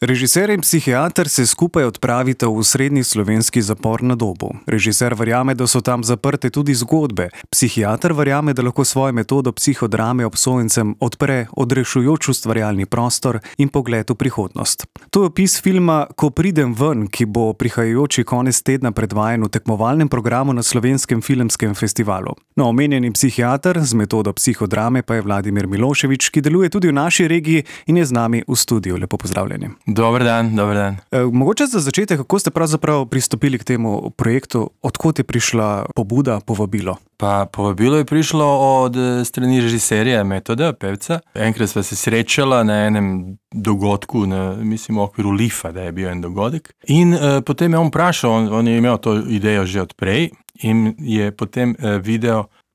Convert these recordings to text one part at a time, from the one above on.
Režiser in psihiater se skupaj odpravita v osrednji slovenski zapor na Dobu. Režiser verjame, da so tam zaprte tudi zgodbe. Psihiater verjame, da lahko svojo metodo psihodrame obsojencem odpre odrešujoč ustvarjalni prostor in pogled v prihodnost. To je opis filma Ko pridem ven, ki bo prihajajoči konec tedna predvajan v tekmovalnem programu na Slovenskem filmskem festivalu. No, omenjeni psihiater z metodo psihodrame pa je Vladimir Milošević, ki deluje tudi v naši regiji in je z nami v studiu. Lepo pozdravljeni. Dober dan. Mogoče za začetek, kako ste pravzaprav pristopili k temu projektu, odkot je prišla pobuda, povabilo? Pa povabilo je prišlo od strani režiserja Metoda, pevca. Enkrat sva se srečala na enem dogodku, mislim v okviru Lifa, da je bil en dogodek. In potem je on vprašal, on je imel to idejo že odprej in je potem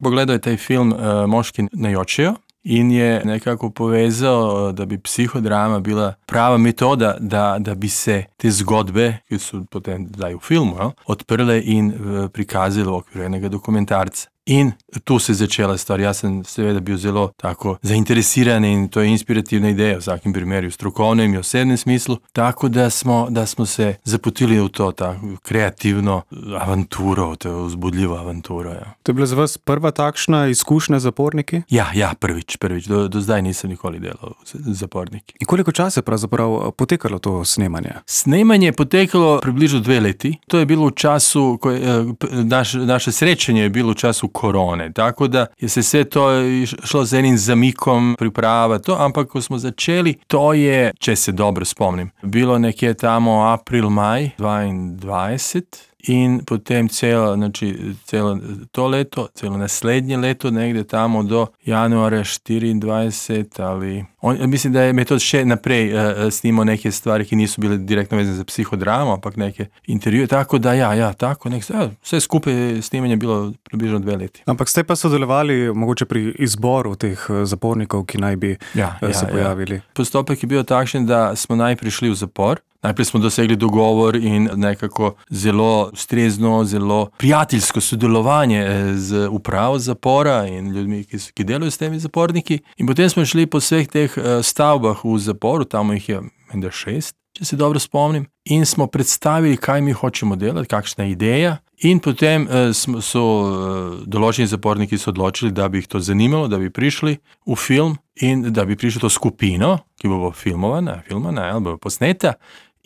pogledal je taj film Moški ne jočejo. In je nekako povezal, da bi psihodrama bila prava metoda, da bi se te zgodbe, ki so potem zdaj v filmu, odprle in prikazali v okviru enega dokumentarca. In tu se je začela stvar. Jaz sem seveda bil zelo tako zainteresiran in to je inspirativna ideja v vsakem primeru, v strokovnem in osebnem smislu. Tako da smo se zapotili v to kreativno avanturo, to vzbudljivo avanturo. Ja. To je bila za vas prva takšna izkušnja z zaporniki? Ja, prvič. Do zdaj nisem nikoli delal z zaporniki. In koliko časa je pravzaprav potekalo to snemanje? Snemanje je potekalo približno 2 leti. To je bilo v času, ko naše srečanje je bilo v času korone, tako da je se vse to šlo z enim zamikom priprava, ampak ko smo začeli, to je, če se dobro spomnim, bilo nekje tamo april-maj 2022 in potem celo to leto, celo naslednje leto, negde tamo do januarja 24 ali... Mislim, da je Metod še naprej snimao neke stvari, ki nisu bile direktno vezane za psihodramu, ampak neke intervjuje, tako da vse skupaj snimanje je bilo približno 2 leti. Ampak ste pa sodelovali mogoče pri izboru teh zapornikov, ki naj bi se pojavili? Postopek je bil takšen, da smo najprej šli v zapor. Najprej smo dosegli dogovor in nekako zelo ustrezno, zelo prijateljsko sodelovanje z upravo zapora in ljudmi, ki delajo s temi zaporniki. In potem smo šli po vseh teh stavbah v zaporu, tam jih je 6, če se dobro spomnim, in smo predstavili, kaj mi hočemo delati, kakšna je ideja. In potem so določeni zaporniki se odločili, da bi jih to zanimalo, da bi prišli v film in da bi prišli to skupino, ki bo filmovana ali bo posneta.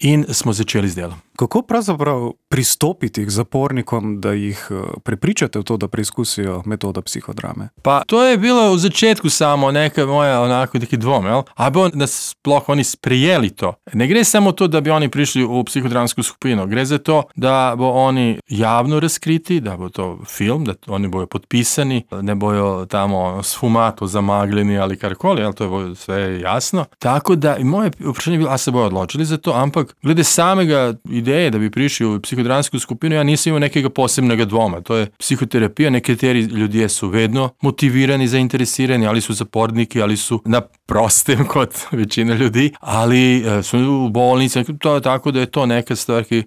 In smo začeli z delom. Kako pravzaprav pristopiti k zapornikom, da jih prepričate v to, da preizkusijo metodo psihodrame? Pa to je bilo v začetku samo neka moja neki dvom, a bo nas sploh oni sprejeli to. Ne gre samo to, da bi oni prišli v psihodramsko skupino, gre za to, da bo oni javno razkriti, da bo to film, da oni bojo podpisani, ne bojo tamo sfumato zamagljeni ali karkoli, to je sve jasno. Tako da moje vprašanje je bilo, a se bojo odločili za to, ampak glede samega ideje, da bi prišli v psihodramsko skupino, ja nisem imel nekega posebnega dvoma. To je psihoterapija, nekateri ljudje so vedno motivirani, zainteresirani, ali so zaporniki, ali so na prostem kot večina ljudi, ali so v bolnici. To je tako, da je to neka stvar, ki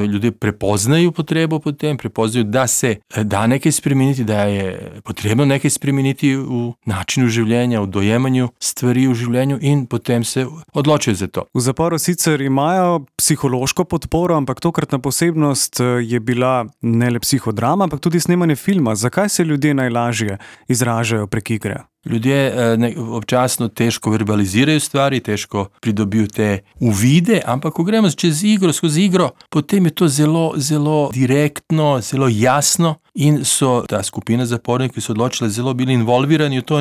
ljudje prepoznajo potrebo potem, prepoznajo, da se da nekaj spremeniti, da je potrebno nekaj spremeniti v načinu življenja, v dojemanju stvari v življenju in potem se odločijo za to. V zaporu sicer imajo psihološko podporo, ampak tokratna posebnost je bila ne le psihodrama, ampak tudi snemanje filma. Zakaj se ljudje najlažje izražajo prek igre? Ljudje občasno težko verbalizirajo stvari, težko pridobijo te uvide, ampak ko gremo skozi igro, potem je to zelo, zelo direktno, zelo jasno in so ta skupina zapornikov, ki so odločili, zelo bili involvirani v to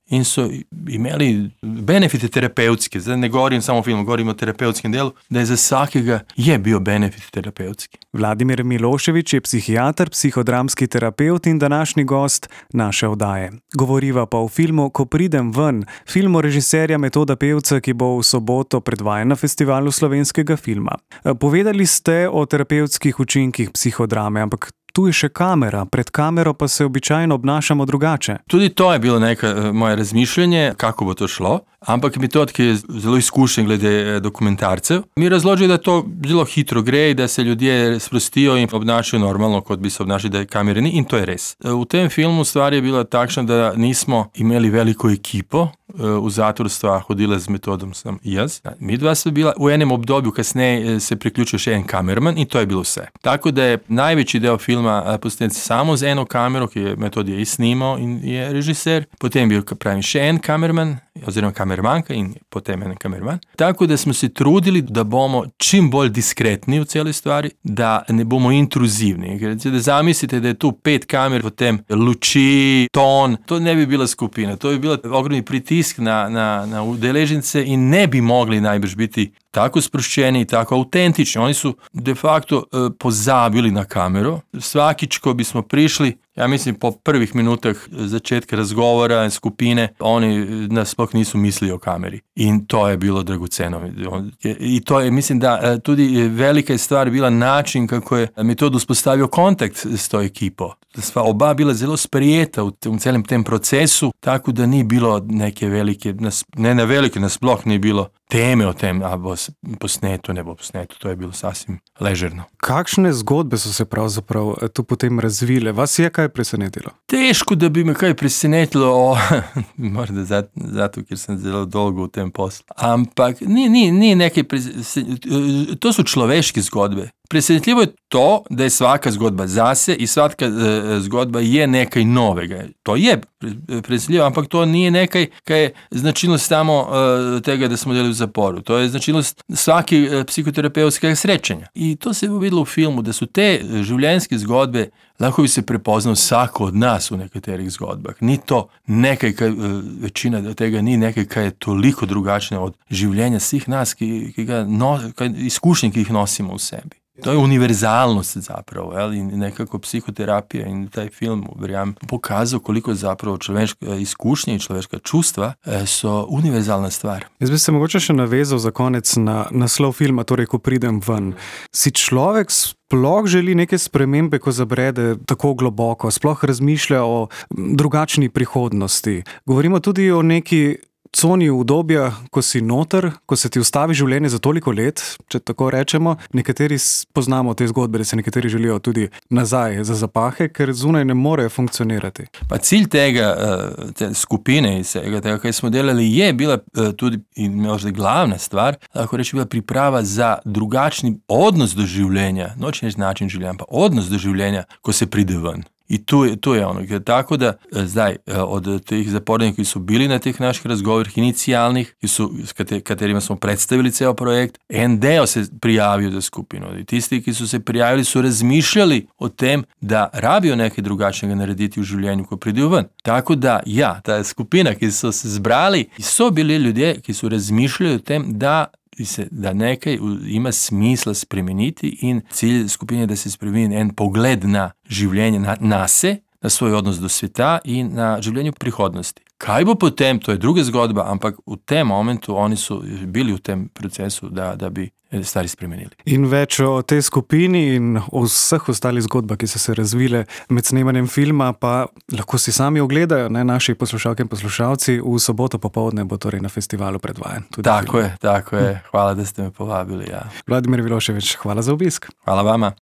in so imeli benefite terapevtske. Zdaj ne govorim samo o filmu, govorim o terapevtskem delu, da je za vsakega bil benefit terapevtski. Vladimir Milošević je psihiater, psihodramski terapevt in današnji gost naše oddaje. Govoriva pa o filmu Ko pridem ven, filmu režiserja Metoda Pevca, ki bo v soboto predvajan na festivalu slovenskega filma. Povedali ste o terapevtskih učinkih psihodrame, ampak tu je še kamera, pred kamero pa se običajno obnašamo drugače. Tudi to je bilo neko moje razmišljanje, kako bo to šlo, ampak Metod, ki je zelo izkušen glede dokumentarcev, mi razloži, da to zelo hitro gre, da se ljudje sprostijo in obnašajo normalno, kot bi se obnašali, da je kamere ni, in to je res. V tem filmu stvar je bila takšna, da nismo imeli veliko ekipo, v zatvor sta hodila z Metodom sem jaz. Midva sva bila, v enem obdobju kasneje se priključil še en kamerman in to je bilo vse. Tako da je največji del filma posnet samo z eno kamero, ki je Metod je snimal in je režiser, potem je bil še en kamerman, oziroma kamermanka in potem en kamerman. Tako da smo se trudili, da bomo čim bolj diskretni v celi stvari, da ne bomo intruzivni. Da zamislite, da je tu 5 kamer, potem luči, ton, to ne bi bila skupina, to bi bila ogromni pritisk na udeležence in ne bi mogli najbrž biti tako sproščeni, tako autentični. Oni su de facto pozabili na kameru. Svakič, ko bismo prišli, ja mislim po prvih minutah začetka razgovora skupine, oni nas sploh nisu mislili o kameri. In to je bilo dragoceno. I to je, mislim da tudi velika je stvar bila način kako je Metod uspostavio kontakt s to ekipo. Sva oba bila zelo sprijeta u celem tem procesu, tako da ni bilo neke velike, nas sploh ni bilo teme o tem, a bo posneto, ne bo posneto. To je bilo sasvim ležerno. Kakšne zgodbe so se pravzaprav tu potem razvile? Vas je kaj presenetilo? Teško, da bi me kaj presenetilo, morda zato, ker sem zelo dolgo v tem poslu. Ampak ni nekaj to su človeške zgodbe. Presenetljivo je to, da je svaka zgodba zase i svaka zgodba je nekaj novega. To je presenetljivo, ampak to nije nekaj kaj je značilnost samo tega, da smo delali v zaporu. To je značilnost svake psihoterapevtskega srečanja. I to se je videlo u filmu, da su te življenjske zgodbe lahko bi se prepoznal vsako od nas v nekaterih zgodbah. Ni to nekaj, večina tega ni nekaj, kaj je toliko drugačno od življenja svih nas, izkušnje, ki jih nosimo v sebi. To je univerzalnost zapravo, in nekako psihoterapija in taj film, verjamem, pokazal koliko zapravo človeška izkušnja in človeška čustva so univerzalna stvar. Jaz bi se mogoče še navezal za konec na naslov filma, torej Ko pridem ven. Si človek sploh želi neke spremembe, ko zabrede tako globoko, sploh razmišlja o drugačni prihodnosti. Govorimo tudi o neki coni udobja, ko si noter, ko se ti ustavi življenje za toliko let, če tako rečemo. Nekateri poznamo te zgodbe, da se nekateri želijo tudi nazaj za zapahe, ker zunaj ne morejo funkcionirati. Pa cilj tega, te skupine, tega, kaj smo delali, je bila tudi, in možda glavna stvar, lahko reči, bila priprava za drugačni odnos do življenja, noče način življenja, pa odnos do življenja, ko se pride ven. I tu je ono, tako da zdaj od teh zapornika, ki su bili na teh naših razgovorih inicijalnih, s katerima smo predstavili ceo projekt, en deo se prijavio za skupinu. I tisti, ki su se prijavili, su razmišljali o tem, da rabijo nekaj drugačnega narediti u življenju, ko pridejo ven. Tako da, ja, ta skupina, ki su se zbrali, so bili ljudje, ki su razmišljali o tem, da nekaj ima smisla spremeniti in cilj skupine je da se spremeni en pogled na življenje, na se, na svoj odnos do sveta in na življenje v prihodnosti. Kaj bo potem, to je druga zgodba, ampak v tem momentu oni su bili v tem procesu, da bi stvari spremenili. In več o tej skupini in o vseh ostalih zgodbah, ki so se razvile med snemanjem filma, pa lahko si sami ogledajo, naši poslušalke in poslušalci. V soboto popoldne bo torej na festivalu predvajan. Tako je. Hvala, da ste me povabili. Ja. Vladimir Milošević, hvala za obisk. Hvala vama.